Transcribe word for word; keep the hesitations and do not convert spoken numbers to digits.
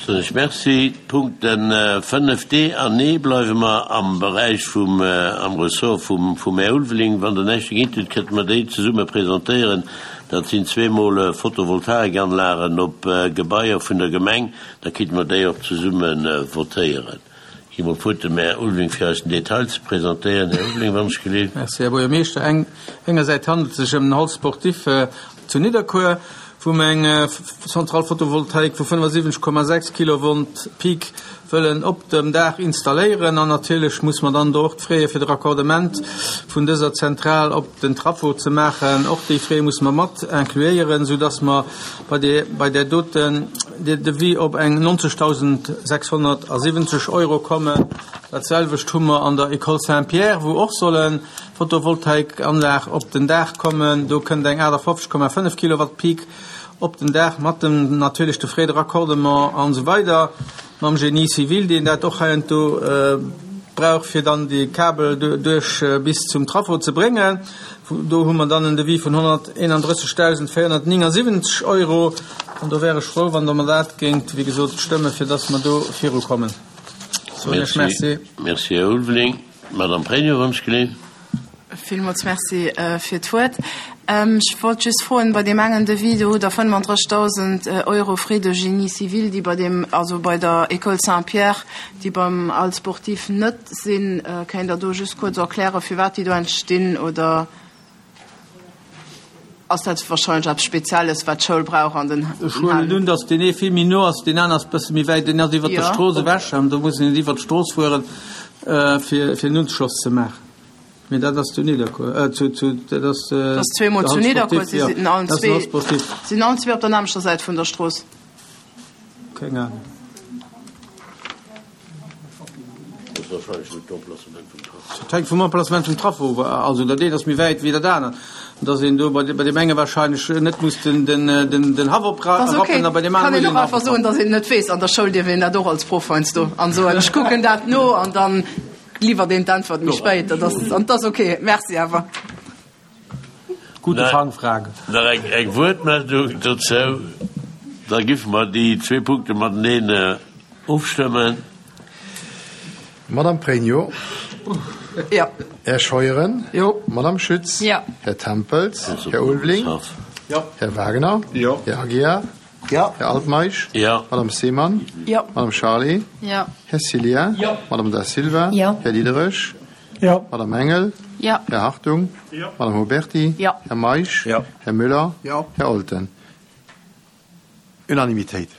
Soen ech Merci. D'Punkten fënnef D an E bleiwe mer am Beräich vum, am Ressort vum, vum Här Ulveling. Wann Der näischt dergéint hutt, kënnte mer déi zesumme presentéieren. Dat sinn zweemol Photovoltaikanlagen op Gebaier vun der Gemeng. Da kinnte mer déi och zesumme votéieren. Ech gi mol d'Wuert dem Här Ulveling, fir eis den Detail ze presentéieren. Här Ulveling, wann ech geleeft. Merci, Här Buergermeeschter. Eng, engersäits handelt et sech ëm den Hall sportif zu Nidderkuer, wou mer eng Centrale photovoltaïque vu fënnefasiwwenzeg Komma sechs Kilovolt Peak wëllen op dem Daach installéieren. An natierlech muss mer dann do och d'Fraie fir de Raccordement vun dëser Zentral op den Trafo ze maachen, och déi Frais muss mer mat incluéieren, soudass mer bei där, bei där doten Devis op eng nonzegdausendsechshonnertasiwwenzeg Euro kommen. Dat selwecht hu mer an der École Saint-Pierre, wou och solle Photovoltaikanlag op den Daach kommen. Do kënnt eng aachtafofzeg Komma fënnef Kilowatt Peak op den Daach mat dem natierlech de Frais de raccordement an esou weider, mam Génie civil, deen dat och heiansdo brauch, fir dann déi Kabel duerch bis zum Trafo ze bréngen. Do hu mer dann en Devis vun honnerteenandrëssegdausendvéierhonnertnéngasiwwenzeg Euro. An do wär ech frou, wann Der mer dat géingt, wéi gesot, stëmmen, fir dass mer do virukommen. Soen ech Merci. Merci, Här Ulveling. Madame Pregno, wann ech geleeft. Villmools Merci fir d'Wuert. Ech wollt just froen, bei deem engen Devis, do hutt Der fënnefandrëssigdausend Euro Frais de génie civil, déi bei deem, also bei der École Saint-Pierre, déi beim Hall sportif net sinn. Kéint Der do just kuerz erklären, firwat déi do entstinn, oder ass dat wahrscheinlech eppes Spezielles, wat d'Schoul brauch an den Ech huelen un, datt deen ee vill méi no ass, deen aner ass e bësse méi wäit. Deen ass iwwert der Strooss ewech an do muss een iwwert d'Strooss fueren, fir fir en Unschloss ze maachen. Mee dat ass zu Nidderkuer, äh, zu, zu, dat ass, Dat ass zweemol zu Nidderkuer, si sinn allen zwee, sinn allen zwee op der nämmlechter Säit vun der Strooss. Keng Ahnung. Dat hänkt vum Emplacement vum Trafo of. Also dat eent ass méi wäit wéi dat anert. Dass een do bei deem enge wahrscheinlech net muss den, den, den, den Haff oprappen a bei deem anere muss een den Haff oprappen. Kann een och einfach soen, dass een net weess. An der Schoul dierf een dat och als Proff heiansdo an soen, ech kucken dat no an dann liwwert een d'Äntwert méi spéit. Dat ass, an dat ass ok. Merci awer. Gute Fangfrage. Nach eng, eng Wuertmeldung dozou? Da giffe mer déi zwee Punkte mateneen ofstëmmen. Madame Pregno. Jo. Här Scheuren. Jo. Madame Schütz. Jo. Här Tempels. Här Ulveling. Jo. Här Wagner. Jo. Här Aguiar. Jo. Här Altmeisch. Jo. Madame Seemann. Jo. Madame Charlé. Jo. Här Cillien. Jo. Madame Da Silva. Jo. Här Diderich. Jo. Madame Engel. Jo. Här Hartung. Jo. Madame Huberty. Jo. Här Meisch. Jo. Här Müller. Jo. Här Olten. Unanimitéit.